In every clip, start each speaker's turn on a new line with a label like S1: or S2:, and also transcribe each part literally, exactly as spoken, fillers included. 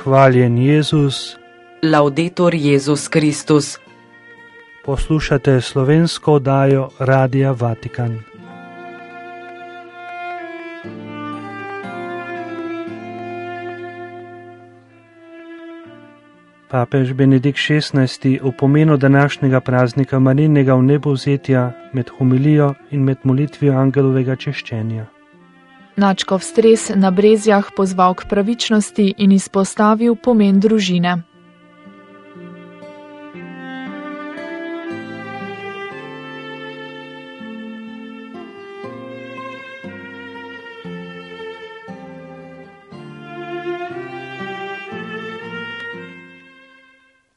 S1: Hvaljen Jezus.
S2: Laudetur Jezus Kristus.
S1: Poslušate slovensko oddajo Radia Vatikan. Papež Benedikt šestnajsti v pomenu današnjega praznika Marijinega vnebovzetja med homilijo in med molitvijo angelovega češčenja.
S3: Nadškof Stres na Brezjah pozval k pravičnosti in izpostavil pomen družine.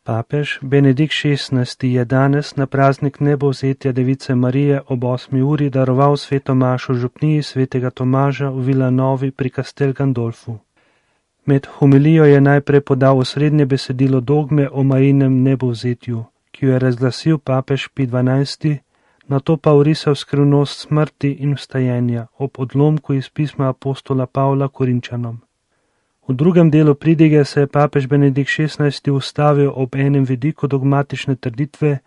S1: Papež Benedikt šestnajsti je danes na praznik vnebovzetja Device Marije ob osmi uri daroval sveto mašo v župniji svetega Tomaža v Villanovi pri Castel Gandolfu. Med homilijo je najprej podal osrednje besedilo dogme o Marijinem vnebovzetju, ki jo je razglasil papež Pij dvanajsti, nato pa orisal skrivnost smrti in vstajenja ob odlomku iz pisma apostola Pavla Korinčanom. V drugem delu pridige se je papež Benedikt šestnajsti ustavil ob enem vidiku dogmatične trditve,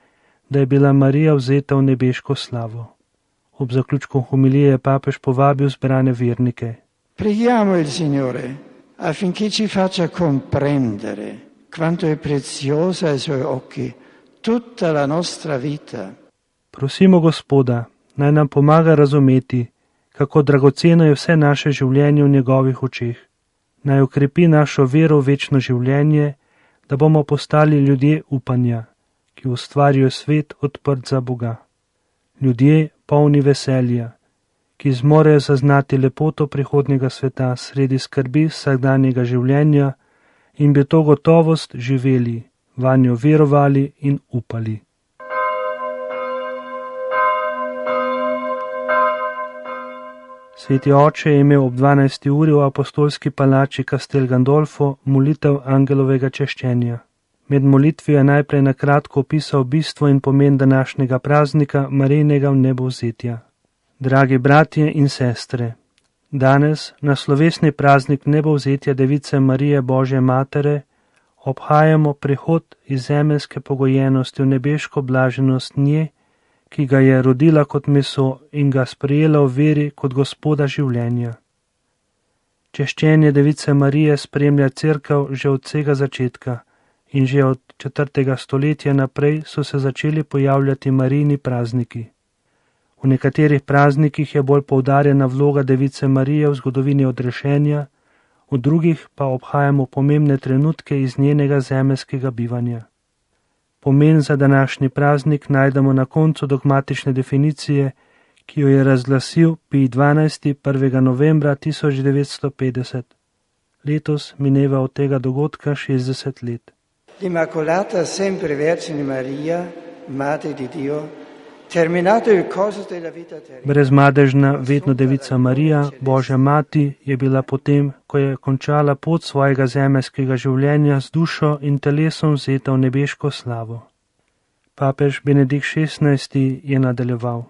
S1: da je bila Marija vzeta v nebeško slavo. Ob zaključku homilije je papež povabil zbrane vernike.
S4: Preghiamo il Signore affinché ci faccia comprendere quanto è preziosa ai suoi occhi tutta la nostra vita.
S1: Prosimo Gospoda, naj nam pomaga razumeti, kako dragoceno je vse naše življenje v njegovih očeh. Naj okrepi našo vero v večno življenje, da bomo postali ljudje upanja, ki ustvarijo svet odprt za Boga. Ljudje polni veselja, ki zmorejo zaznati lepoto prihodnjega sveta sredi skrbi vsakdanjega življenja in bi to gotovost živeli, vanjo verovali in upali. Sveti oče je imel ob dvanajsti uri v apostolski palači Castel Gandolfo molitev angelovega češčenja. Med molitvijo je najprej na kratko opisal bistvo in pomen današnjega praznika Marijinega vnebovzetja. Dragi bratje in sestre, danes na slovesni praznik vnebovzetja Device Marije Božje Matere obhajamo prehod iz zemeljske pogojenosti v nebeško blaženost nje, ki ga je rodila kot meso in ga sprejela v veri kot Gospoda življenja. Češčenje Device Marije spremlja cerkev že od vsega začetka in že od četrtega stoletja naprej so se začeli pojavljati Marijini prazniki. V nekaterih praznikih je bolj poudarjena vloga Device Marije v zgodovini odrešenja, v drugih pa obhajamo pomembne trenutke iz njenega zemeljskega bivanja. Pomen za današnji praznik najdemo na koncu dogmatične definicije, ki jo je razglasil Pij dvanajsti prvega novembra tisoč devetsto petdeset. Letos mineva od tega dogodka šestdeset let.
S4: L'Immacolata sempre Vergine Maria, Madre di Dio, terminato il corso della vita terrena.
S1: Brezmadežna vedno Devica Marija, Božja mati, je bila potem, ko je končala pot svojega zemeljskega življenja z dušo in telesom vzeta v nebeško slavo. Papež Benedikt šestnajsti je nadaljeval.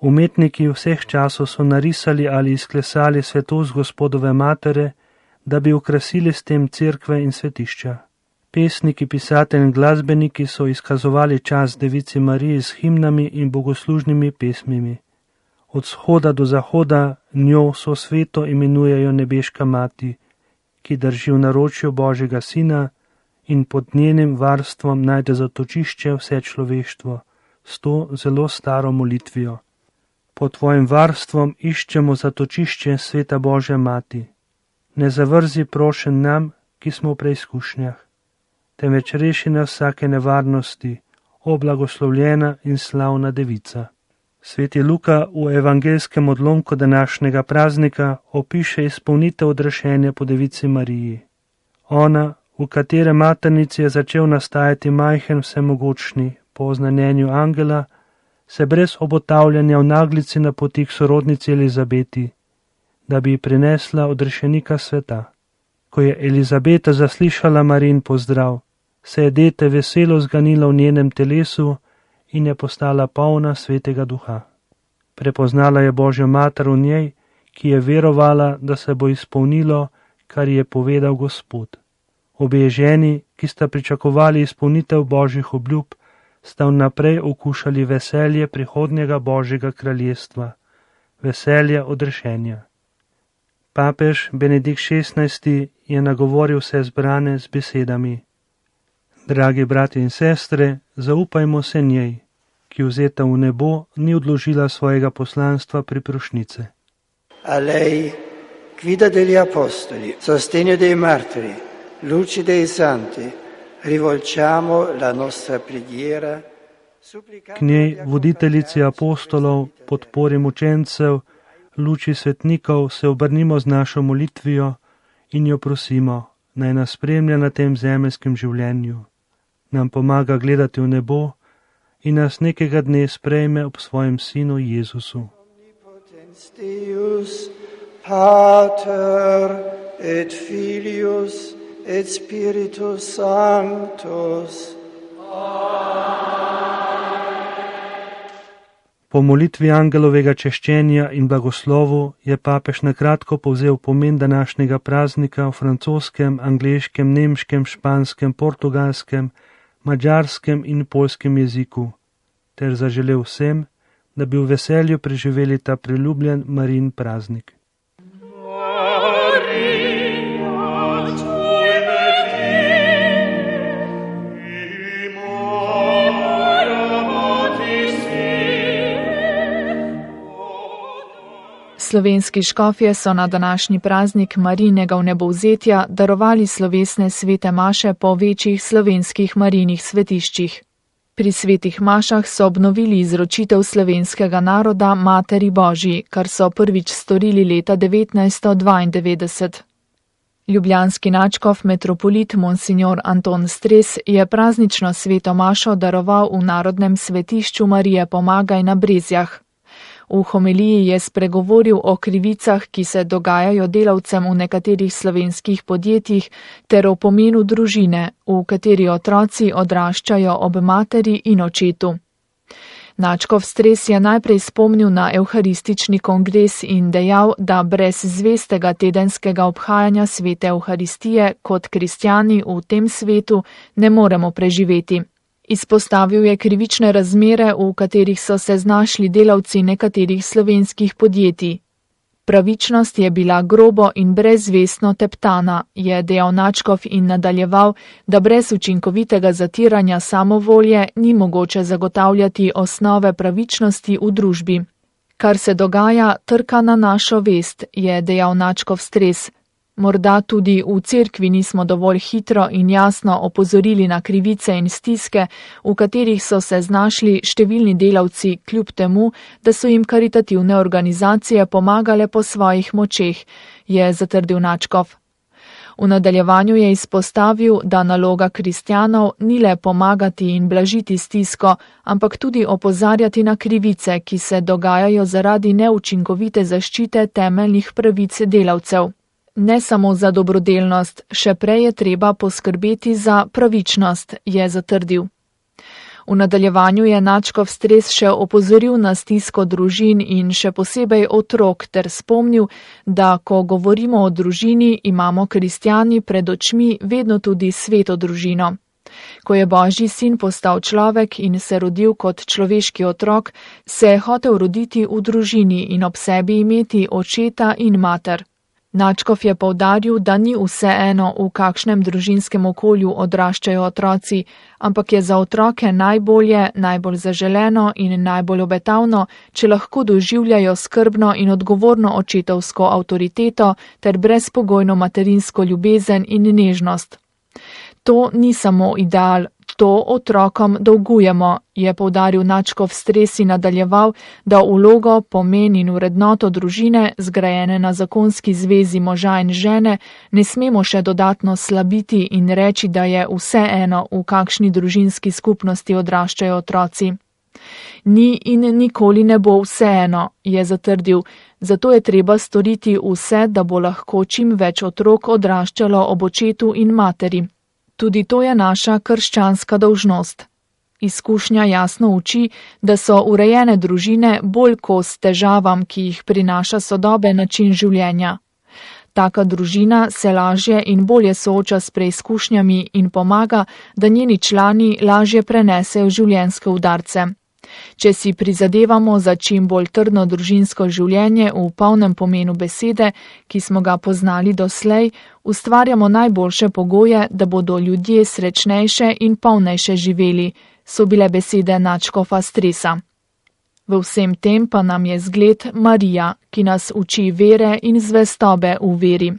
S1: Umetniki vseh časov so narisali ali izklesali svetost Gospodove matere, da bi okrasili s tem cerkve in svetišča. Pesniki, pisatelji in glasbeniki so izkazovali čast Devici Mariji s himnami in bogoslužnimi pesmimi. Od vzhoda do zahoda njo so sveto imenujejo nebeška mati, ki drži v naročju Božjega Sina in pod njenim varstvom najde zatočišče vse človeštvo s to zelo staro molitvijo. Pod tvojim varstvom iščemo zatočišče sveta Božja mati. Ne zavrzi prošen nam, ki smo v preizkušnjah, temveč reši nas vsake nevarnosti, o blagoslovljena in slavna devica. Sveti Luka v evangelskem odlomku današnjega praznika opiše izpolnitev odrešenja po Devici Mariji. Ona, v katere maternici je začel nastajati majhen vsemogočni, po oznanjenju angela, se brez obotavljanja v naglici napoti k sorodnici Elizabeti, da bi ji prinesla odrešenika sveta. Ko je Elizabeta zaslišala Marijin pozdrav, se je dete veselo zganilo v njenem telesu in je postala polna svetega duha. Prepoznala je Božjo mater v njej, ki je verovala, da se bo izpolnilo, kar je povedal Gospod. Obe ženi, ki sta pričakovali izpolnitev božjih obljub, sta vnaprej okušali veselje prihodnjega božjega kraljestva, veselje odrešenja. Papež Benedikt šestnajsti je nagovoril vse zbrane z besedami: Dragi brati in sestre, zaupajmo se njej, ki vzeta v nebo ni odložila svojega poslanstva pri prošnjice.
S4: A lei, guida degli apostoli, sostegno dei martiri, luce dei santi, rivolgiamo la nostra preghiera.
S1: K njej, voditeljici apostolov, podpori mučencev, luči svetnikov, se obrnimo z našo molitvijo in jo prosimo, naj nas spremlja na tem zemeljskem življenju, nam pomaga gledati v nebo in nas nekega dne sprejme ob svojem sinu Jezusu.
S4: Deus, Pater et Filius et Spiritus Sanctus.
S1: Po molitvi angelovega češčenja in blagoslovu je papež na kratko povzel pomen današnjega praznika v francoskem, angleškem, nemškem, španskem, portugalskem, madžarskem in poljskem jeziku, ter zaželel vsem, da bi v veselju preživeli ta priljubljen Marijin praznik.
S3: Slovenski škofje so na današnji praznik Marijinega vnebovzetja darovali slovesne svete maše po večjih slovenskih Marijinih svetiščih. Pri svetih mašah so obnovili izročitev slovenskega naroda Materi Božji, kar so prvič storili leta devetnajststo dvaindevetdeset. Ljubljanski nadškof metropolit Monsignor Anton Stres je praznično sveto mašo daroval v Narodnem svetišču Marije Pomagaj na Brezjah. V homiliji je spregovoril o krivicah, ki se dogajajo delavcem v nekaterih slovenskih podjetjih, ter o pomenu družine, v kateri otroci odraščajo ob materi in očetu. Nadškof Stres je najprej spomnil na evharistični kongres in dejal, da brez zvestega tedenskega obhajanja svete evharistije kot kristjani v tem svetu ne moremo preživeti. Izpostavil je krivične razmere, v katerih so se znašli delavci nekaterih slovenskih podjetij. Pravičnost je bila grobo in brezvestno teptana, je dejal nadškof in nadaljeval, da brez učinkovitega zatiranja samovolje ni mogoče zagotavljati osnove pravičnosti v družbi. Kar se dogaja, trka na našo vest, je dejal nadškof Stres. Morda tudi v cerkvi nismo dovolj hitro in jasno opozorili na krivice in stiske, v katerih so se znašli številni delavci, kljub temu, da so jim karitativne organizacije pomagale po svojih močeh, je zatrdil nadškof. V nadaljevanju je izpostavil, da naloga kristjanov ni le pomagati in blažiti stisko, ampak tudi opozarjati na krivice, ki se dogajajo zaradi neučinkovite zaščite temeljnih pravic delavcev. Ne samo za dobrodelnost, še prej je treba poskrbeti za pravičnost, je zatrdil. V nadaljevanju je nadškof Stres še opozoril na stisko družin in še posebej otrok ter spomnil, da ko govorimo o družini, imamo kristjani pred očmi vedno tudi sveto družino. Ko je Božji sin postal človek in se rodil kot človeški otrok, se je hotel roditi v družini in ob sebi imeti očeta in mater. Nadškof je poudaril, da ni vseeno, v kakšnem družinskem okolju odraščajo otroci, ampak je za otroke najbolje, najbolj zaželeno in najbolj obetavno, če lahko doživljajo skrbno in odgovorno očetovsko avtoriteto ter brezpogojno materinsko ljubezen in nežnost. To ni samo ideal, to otrokom dolgujemo, je poudaril nadškof Stres in nadaljeval, da vlogo, pomen in vrednoto družine, zgrajene na zakonski zvezi moža in žene, ne smemo še dodatno slabiti in reči, da je vseeno, v kakšni družinski skupnosti odraščajo otroci. Ni in nikoli ne bo vseeno, je zatrdil, zato je treba storiti vse, da bo lahko čim več otrok odraščalo ob očetu in materi. Tudi to je naša krščanska dolžnost. Izkušnja jasno uči, da so urejene družine bolj kos težavam, ki jih prinaša sodoben način življenja. Taka družina se lažje in bolje sooča s preizkušnjami in pomaga, da njeni člani lažje prenesejo življenjske udarce. Če si prizadevamo za čim bolj trdno družinsko življenje v polnem pomenu besede, ki smo ga poznali doslej, ustvarjamo najboljše pogoje, da bodo ljudje srečnejše in polnejše živeli, so bile besede nadškofa Stresa. V vsem tem pa nam je zgled Marija, ki nas uči vere in zvestobe v veri.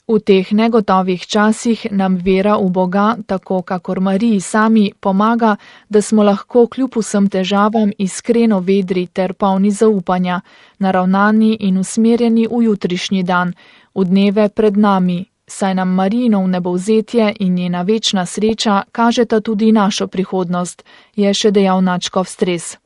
S3: V teh negotovih časih nam vera v Boga, tako kakor Mariji sami, pomaga, da smo lahko kljub vsem težavam iskreno vedri ter polni zaupanja, naravnani in usmerjeni v jutrišnji dan, v dneve pred nami, saj nam Marijino vnebovzetje in njena večna sreča kažeta tudi našo prihodnost, je še dejal nadškof Stres.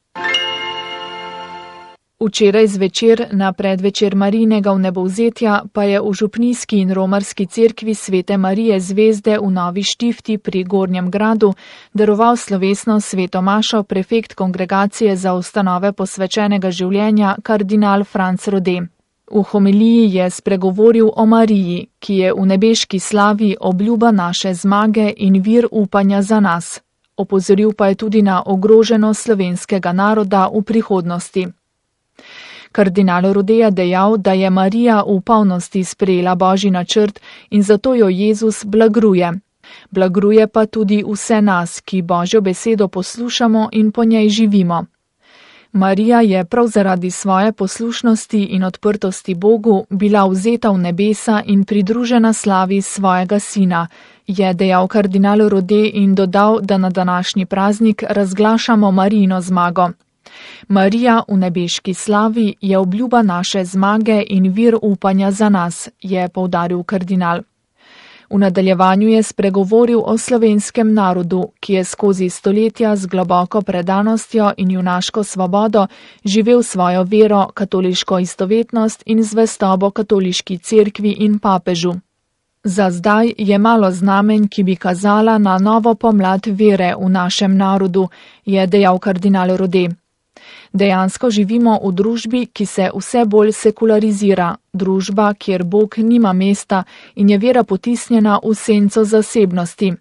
S3: Včeraj zvečer na predvečer Marijinega vnebovzetja pa je v župnijski in romarski cerkvi Svete Marije Zvezde v Novi Štifti pri Gornjem gradu daroval slovesno sveto mašo prefekt Kongregacije za ustanove posvečenega življenja kardinal Franc Rode. V homiliji je spregovoril o Mariji, ki je v nebeški slavi obljuba naše zmage in vir upanja za nas. Opozoril pa je tudi na ogroženost slovenskega naroda v prihodnosti. Kardinal Rode je dejal, da je Marija v polnosti sprejela Božji načrt in zato jo Jezus blagruje. Blagruje pa tudi vse nas, ki Božjo besedo poslušamo in po njej živimo. Marija je prav zaradi svoje poslušnosti in odprtosti Bogu bila vzeta v nebesa in pridružena slavi svojega sina, je dejal kardinal Rode in dodal, da na današnji praznik razglašamo Marijino zmago. Marija v nebeški slavi je obljuba naše zmage in vir upanja za nas, je poudaril kardinal. V nadaljevanju je spregovoril o slovenskem narodu, ki je skozi stoletja z globoko predanostjo in junaško svobodo živel svojo vero, katoliško istovetnost in zvestobo katoliški cerkvi in papežu. Za zdaj je malo znamenj, ki bi kazala na novo pomlad vere v našem narodu, je dejal kardinal Rode. Dejansko živimo v družbi, ki se vse bolj sekularizira, družba, kjer Bog nima mesta in je vera potisnjena v senco zasebnosti.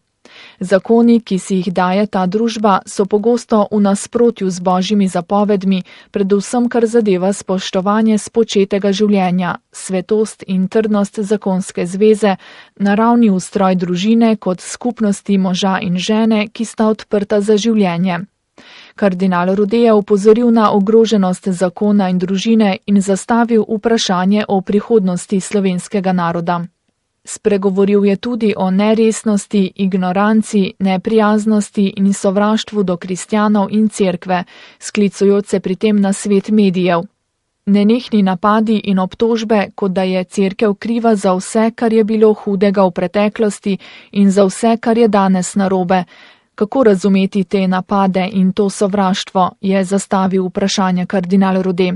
S3: Zakoni, ki si jih daje ta družba, so pogosto v nasprotju z Božjimi zapovedmi, predvsem kar zadeva spoštovanje spočetega življenja, svetost in trdnost zakonske zveze, naravni ustroj družine kot skupnosti moža in žene, ki sta odprta za življenje. Kardinal Rode je opozoril na ogroženost zakona in družine in zastavil vprašanje o prihodnosti slovenskega naroda. Spregovoril je tudi o neresnosti, ignoranci, neprijaznosti in sovraštvu do kristjanov in cerkve, sklicujoč se pri tem na svet medijev. Nenehni napadi in obtožbe, kot da je cerkev kriva za vse, kar je bilo hudega v preteklosti in za vse, kar je danes narobe. Kako razumeti te napade in to sovraštvo, je zastavil vprašanje kardinal Rode.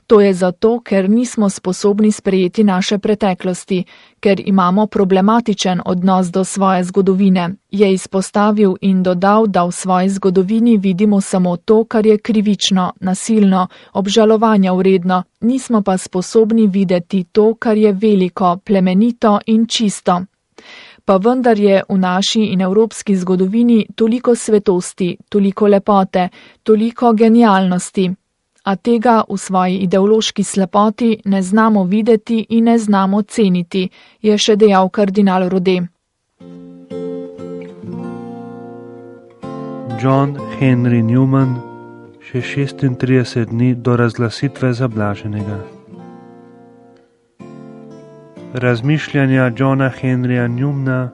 S3: To je zato, ker nismo sposobni sprejeti naše preteklosti, ker imamo problematičen odnos do svoje zgodovine, je izpostavil in dodal, da v svoji zgodovini vidimo samo to, kar je krivično, nasilno, obžalovanja vredno, nismo pa sposobni videti to, kar je veliko, plemenito in čisto. Pa vendar je v naši in evropski zgodovini toliko svetosti, toliko lepote, toliko genialnosti, a tega v svoji ideološki slepoti ne znamo videti in ne znamo ceniti, je še dejal kardinal Rode.
S1: John Henry Newman, še šestintrideset dni do razglasitve za blaženega. Razmišljanja Johna Henryja Newmana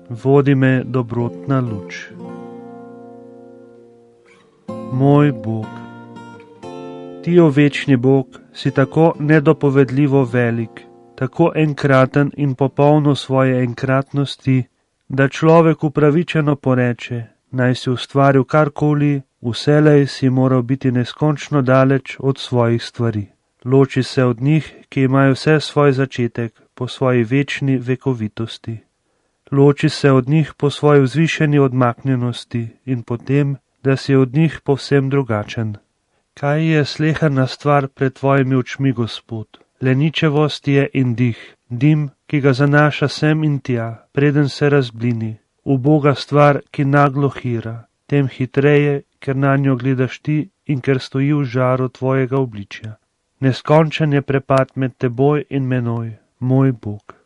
S1: vodi me dobrotna luč. Moj Bog, ti, o večni Bog, si tako nedopovedljivo velik, tako enkraten in popolno svoje enkratnosti, da človek upravičeno poreče, naj si ustvaril karkoli, vselej si moral biti neskončno daleč od svojih stvari. Loči se od njih, ki imajo vse svoj začetek, po svoji večni vekovitosti. Loči se od njih po svoji vzvišeni odmaknjenosti in potem, da si od njih povsem drugačen. Kaj je sleherna stvar pred tvojimi očmi, Gospod? Leničevost je in dih, dim, ki ga zanaša sem in tja, preden se razblini, uboga stvar, ki naglo hira, tem hitreje, ker na njo gledaš ti in ker stoji v žaru tvojega obličja. Neskončen je prepad med teboj in menoj, moj Bog.